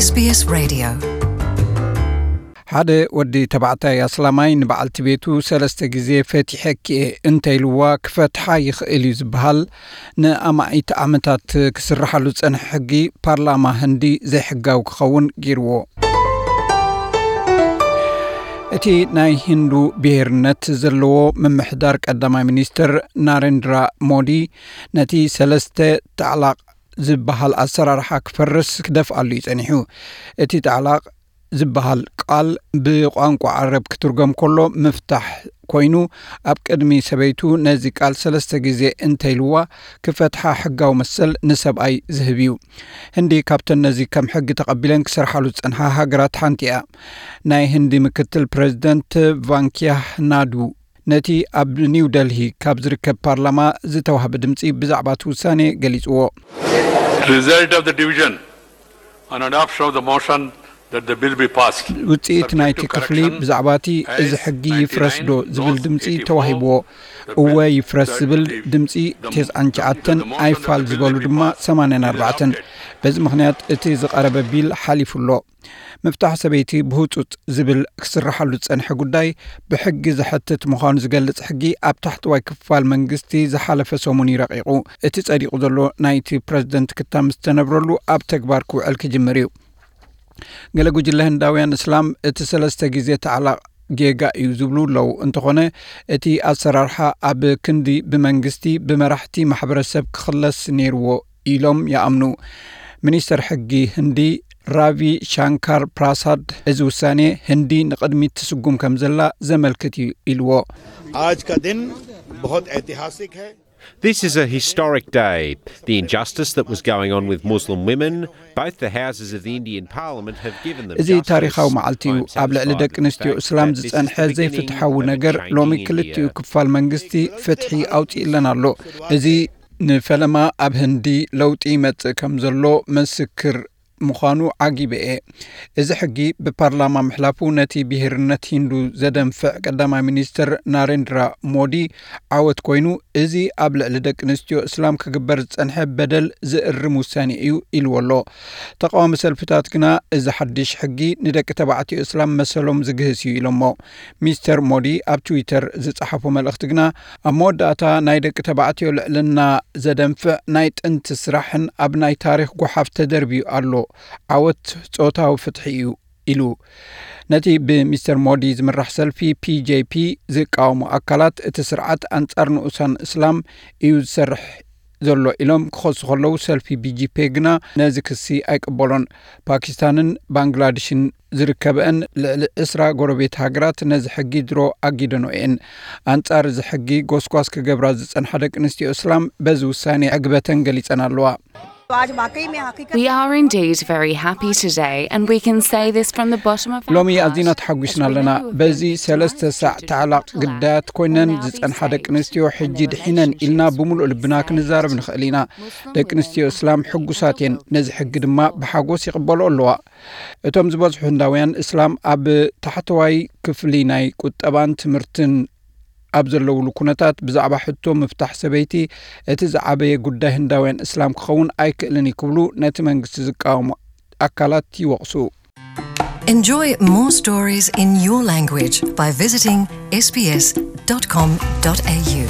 S B S Radio. ሓደ ወዲ ተባዕታይ ኣስላማይ ንበዓልቲ ቤቱ ሰለስተ ግዜ ፈቲሐኪ እየ እንተኢልዋ ክፈትሓ ይኽእል እዩ ዝበሃል ንኣማኢት ዓመታት ክስርሓሉ ዝጸንሐ ሕጊ ፓርላማ ህንዲ ዘይሕጋዊ ክኸውን ገይርዎ። እቲ ናይ ሂንዱ ብሄርነት ዘለዎ ምምሕዳር ቀዳማይ ሚኒስትር ናሬንድራ ሞዲ ነቲ ሰለስተ ታዕላቕ ዝበሃል ኣሰራርሓ ክፈርስ ክደፍኣሉ እዩ ጸኒሑ። እቲ ጣዕላቕ ዝበሃል ቃል ብቋንቋ ዓረብ ክትርጎም ከሎ ምፍታሕ ኮይኑ፣ ኣብ ቅድሚ ሰበይቱ ነዚ ቃል ሰለስተ ግዜ እንተኢልዋ ክፈትሓ ሕጋዊ መሰል ንሰብኣይ ዝህብ እዩ። ህንዲ ካብተን ነዚ ከም ሕጊ ተቐቢለን ክሰርሓሉ ዝጸንሓ ሃገራት ሓንቲ እያ። ናይ ህንዲ ምክትል ፕሬዚደንት ቫንኪያ ናዱ ነቲ ኣብ ኒው ደልሂ ካብ ዝርከብ ፓርላማ ዝተዋህበ ድምፂ ብዛዕባ እቲ ውሳኔ ገሊፅዎ። Result of the division on adoption of the motion that the bill be passed. ውፅኢት ናይቲ ክፍሊ ብዛዕባ እቲ እዚ ሕጊ ይፍረስ ዶ ዝብል ድምፂ ተዋሂብዎ። እወ ይፍረስ ዝብል ድምፂ ተስዓን ትሽዓተን ኣይፋል ዝበሉ ድማ ሰማንያን ኣርባዕተን። በዚ ምኽንያት እቲ ዝቐረበ ቢል ሓሊፉ ኣሎ። ምፍታሕ ሰበይቲ ብህጹጽ ዝብል ክስርሓሉ ዝጸንሐ ጉዳይ ብሕጊ ዘሐትት ምዃኑ ዝገልጽ ሕጊ ኣብ ታሕተዋይ ክፋል መንግስቲ ዝሓለፈ ሰሙን እዩ ረቒቑ። እቲ ጸዲቑ ዘሎ ናይቲ ፕረዚደንት ክታም ዝተነብረሉ ኣብ ተግባር ክውዕል ክጅምር እዩ። ገለ ጉጅለ ህንዳውያን እስላም እቲ ሰለስተ ግዜ ተዕላቕ ጌጋ እዩ ዝብሉ ኣለዉ። እንተኾነ እቲ ኣሰራርሓ ኣብ ክንዲ ብመንግስቲ ብመራሕቲ ማሕበረሰብ ክኽለስ ነይርዎ ኢሎም ይኣምኑ። ሚኒስተር ሕጊ ህንዲ ራቪ ሻንካር ፕራሳድ እዚ ውሳኔ ህንዲ ንቕድሚት ትስጉም ከም ዘላ ዘመልክት እዩ ኢልዎ። आज का दिन बहुत ऐतिहासिक है। This is a historic day. The injustice that was going on with Muslim women, both the houses of the Indian Parliament have given them እዚ ታሪኻዊ መዓልቲ እዩ። ኣብ ልዕሊ ደቂ ኣንስትዮ እስላም ዝጸንሐ ዘይፍትሓዊ ነገር ሎሚ ክልቲኡ ክፋል መንግስቲ ፍትሒ ኣውጺእለን ኣሎ። እዚ ንፈለማ ኣብ ህንዲ ለውጢ ይመጽእ ከም ዘሎ ምስክር ምዃኑ ዓጊበ እየ። እዚ ሕጊ ብፓርላማ ምሕላፉ ነቲ ብሄርነት ሂንዱ ዘደንፍዕ ቀዳማይ ሚኒስትር ናሬንድራ ሞዲ ዓወት ኮይኑ፣ እዚ ኣብ ልዕሊ ደቂ ኣንስትዮ እስላም ክግበር ዝጸንሐ በደል ዝእርም ውሳኔ እዩ ኢልዎ ኣሎ። ተቓዋሚ ሰልፍታት ግና እዚ ሓድሽ ሕጊ ንደቂ ተባዕትዮ እስላም መሰሎም ዝግህስ እዩ ኢሎሞ። ሚስተር ሞዲ ኣብ ትዊተር ዝጸሓፎ መልእኽቲ ግና ኣብ መወዳእታ ናይ ደቂ ተባዕትዮ ልዕልና ዘደንፍዕ ናይ ጥንቲ ስራሕን ኣብ ናይ ታሪኽ ጓሓፍ ተደርብዩ ኣሎ። ዓወት ጾታዊ ፍትሒ እዩ ኢሉ። ነቲ ብሚስተር ሞዲ ዝምራሕ ሰልፊ ፒ ጄ ፒ ዝቃወሙ ኣካላት እቲ ስርዓት ኣንጻር ንኡሳን እስላም እዩ ዝሰርሕ ዘሎ ኢሎም ክኸሱ ከለዉ ሰልፊ ቢ ጂ ፔ ግና ነዚ ክሲ ኣይቅበሎን። ፓኪስታንን ባንግላድሽን ዝርከበአን ልዕሊ ዕስራ ጎረቤት ሃገራት ነዚ ሕጊ ድሮ ኣጊደኖ እየን። ኣንጻር እዚ ሕጊ ጎስጓስ ክገብራ ዝጸንሓ ደቂ ኣንስትዮ እስላም በዚ ውሳኔ ዕግበተን ገሊጸን ኣለዋ። We are indeed very happy today, and we can say this from the bottom of our ሎሚ heart. ኣዚና ተሓጒስና ኣለና። በዚ ሰለስተ ሳዕ ተዕላቕ ግዳያት ኮይነን ዝጸንሓ ደቂ ኣንስትዮ ሕጂ ድሒነን ኢልና ብምሉእ ልብና ክንዛረብ ንኽእል ኢና። ደቂ ኣንስትዮ እስላም ሕጉሳት እየን። ነዚ ሕጊ ድማ ብሓጎስ ይቕበሎ ኣለዋ። እቶም ዝበዝሑ ህንዳውያን እስላም ኣብ ታሕተዋይ ክፍሊ ናይ ቁጠባን ትምህርትን ኣብ ዘለውሉ ኩነታት ብዛዕባ ሕቶ ምፍታሕ ሰበይቲ እቲ ዝዓበየ ጉዳይ ህንዳውያን እስላም ክኸውን ኣይክእልን እዩ ክብሉ ነቲ መንግስቲ ዝቃወሙ ኣካላት ይወቕሱ። Enjoy more stories in your language by visiting S B S dot com dot A U.